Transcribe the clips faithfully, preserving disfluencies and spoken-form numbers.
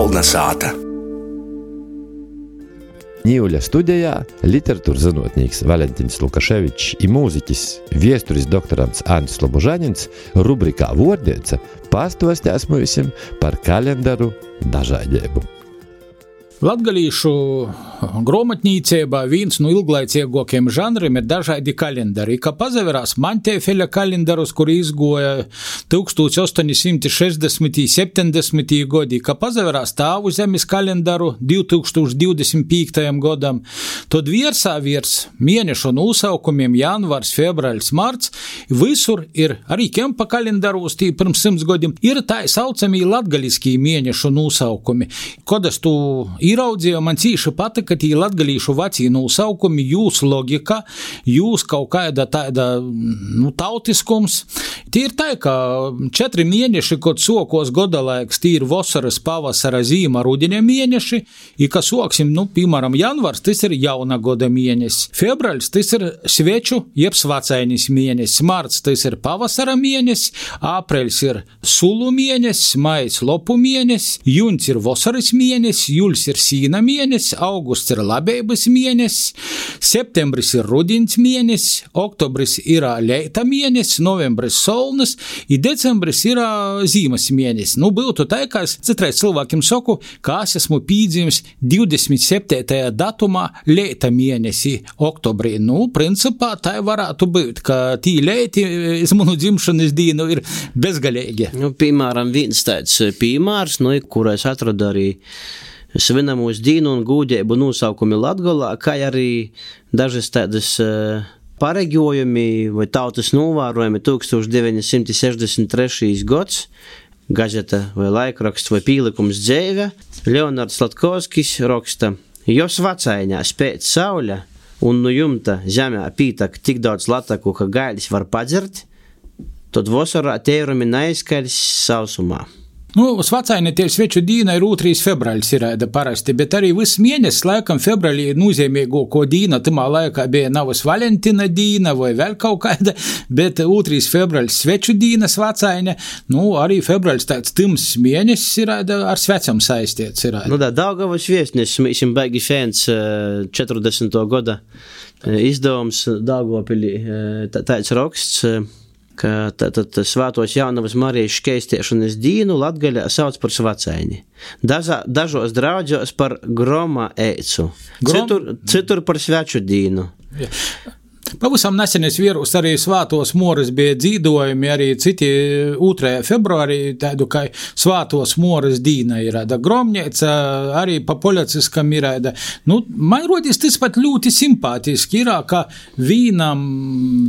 Kolna sāta. Ņīvuļa studijā literatūras zinotnīks Valentīns Lukaševičs i mūziķis, viesturis doktorants Andris Lobožanins rubrikā Vordeica pastostās mūsim par kalendaru dažādību. Latgalīšu grāmatnīceibā viens no ilglaicīgākajiem žanriem ir dažādi kalendari. Kā pazaverās Mantēfeļa kalendarus, kur izgoja tūkstoš astoņi simti sešdesmiti septiņdesmiti gadi, kā pazaverās Tāvu zemes kalendaru divi tūkstoši divdesmit piektajam godam, tad viersā viers mēnešu nosaukumiem janvārs, februārs, marts, visur ir arī kempa kalendaros, tī pirms simts gadiem, ir tā saucamī latgaliskī mēnešu nosaukumi. Kad es tu īraudzīju, man cīši patika tī latgalīšu vecī nosaukumi, jūs logika, jūs kaut kāda tāda, nu, tautiskums. Tī ir tā, ka četri mēneši, kad sokos godalaiks, tī ir vasaras, pavasara, zīma, rudeņa mēneši, i ka soksim, nu, piemēram, janvars, tas ir jauna goda mēnesis, februārs, tas ir sveču, jeb svacainis mēnesis, marts, tas ir pavasara mēnesis, aprēļs ir sulu mēnesis, majs lopu mēnesis, juns ir vasaras mēnesis, juls ir sīna mēnesis, augusts ir labības mēnesis, septembris ir rudins mēnesis, oktobris ir leita mēnesis, novembris solnas, i decembris ir zīmas mēnesis. Nu, būtu tā, ka es citreiz cilvēkiem saku, ka es esmu pīdzīmis divdesmit septītajā datumā leita mēnesi oktobrī. Nu, principā tā varētu būt, ka tī leiti iz manu dzimšanas dīnu ir bezgalīgi. Nu, piemēram, viens tāds piemērs, nu, kur es atradu arī svinamos dīnu un gūdeibu nosaukumi Latgolā, kā arī dažas tādas uh, pareģojumi vai tautas novērojumi tūkstoš deviņi simti sešdesmit trešais gads, gazeta vai laikraksts vai pīlikums dzeive. Leonards Latkovskis raksta: jos vacaiņā spēc sauļa un nu jumta zemē pītak tik daudz lataku, ka gailis var padzert, tad vasarā teirumi neizskaļs sausumā. Nu, svacaini tie sveču dīna ir otrais februāris ir parasti, bet arī viss mēnesis laikam februārī ir nozīmīgāko dīna, tamā laikā bija navas Valentīna dīna vai vēl kaut kāda, bet otrais februāris sveču dīna svacaini, nu, arī februāris tāds tims mēnesis ir ar svecam saistīts ir. Nu, da, Daugavas viesnis, mēs baigi fēns četrdesmito gada izdevums Daugavpilī, tāds raksts, ka tad Svētos Jaunavas Marijas škeistiešanas dīnu Latgaļā sauc par svacaini. Dažā, dažos draudžos par groma eicu, Grom... citur, citur par sveču dīnu. Ja. Pavisam nesenes vierus arī Svātos Moras bija dzīdojumi, arī citi otrajā februārī, tādu kā Svātos Moras dīna ir, da gromņēca arī pa policiskam ir, da, nu, man rodīs tas pat ļoti simpātiski ir, ka vīnam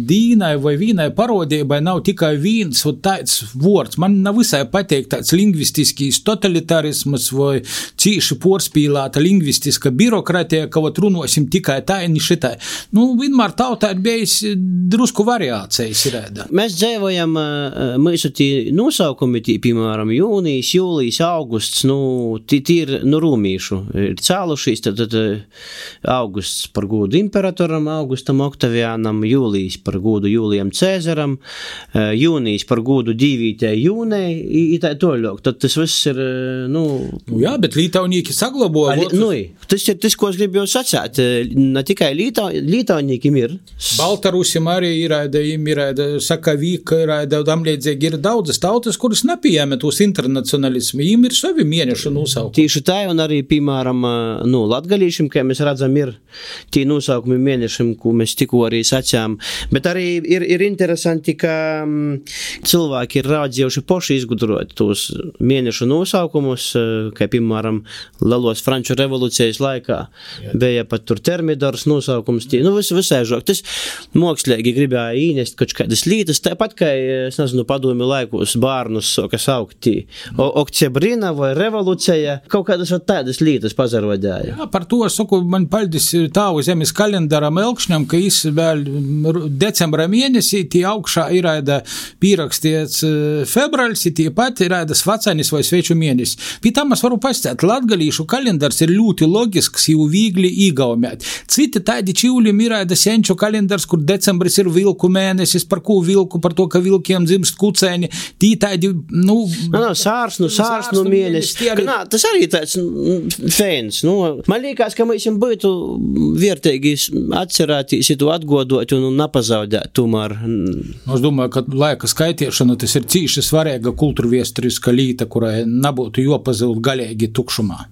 dīnai vai vīnai parodībai nav tikai vīns un tāds vords, man nav visai pateikt tāds lingvistiskīs totalitarismas vai cīši porspīlāta lingvistiska birokratija, ka vat runosim tikai tā un šitai. Nu, vienmēr tautā ir bijis drusku variācijas ir. Mēs dzīvojam, mūsu tī nosaukumi, tī, piemēram, jūnijas, jūlijas, augusts, nu, tī, tī ir nu rūmīšu. Ir cēlušīs, tad, tad augusts par godu imperatoram, Augustam Oktaviānam, jūlijas par godu Jūlijam Cēzaram, jūnijas par godu divītē jūnei, i tā toļok. Tad tas viss ir, nu... Nu jā, bet lītaunīki saglabo. Ali, nu, tas ir tas, ko es gribu jau sacēt. Ne tikai līta, lītaunīkim ir. Baltarusim arī ir, ir Sakavīka, ir tamlīdzīgi ir daudzas tautas, kuras nepieņem tos internacionalismu, viņiem ir savi mēnešu nosaukumi. Tieši tā, un arī, piemēram, nu, latgalīšiem, kā mēs redzam, ir tie nosaukumi mēnešiem, ko mēs tikko arī sacījām, bet arī ir, ir interesanti, ka m, cilvēki ir rādzījuši poši izgudrot tos mēnešu nosaukumus, kā, piemēram, Lelos Franču revolūcijas laikā. Jā. Bija pat tur termidors nosaukums, tie, nu, vis, visai žok. Tas mokslīgi gribēja īnest kaut kādas lītas, tāpat, kā, es nezinu, padomi laikos bārnus, kas augtī, Oktiebrina vai revolūcija, kaut kādas tādas lītas pazarodēja. Jā, par to es saku, man paldies Tāvu zemes kalendaram Elkšņam, ka jis vēl decembra mēnesī, tie augšā ir pīrakstīts februāris, tie pat ir svacainis vai sveču mēnesis. Pie tam es varu pastāstīt, latgalīšu kalendars ir ļoti logisks, jau vīgli īgaumēt. Citi tādi čīvļi ir senču kalendari, kalendars, kur decembris ir vilku mēnesis, par ko vilku, par to, ka vilkiem dzimst kucēņi, tī tādi, nu... No, no, sārsnu, sārsnu mēnesis. Arī... Nā, tas arī tāds fēns, nu, man liekas, ka mēs būtu vērtīgi atcerētīs, to atgodot un napazaudēt tomēr. Es domāju, ka laika skaitiešana tas ir cīši svarīga kultūrviesturiska līta, kurai nebūtu jopazult galīgi tukšumā.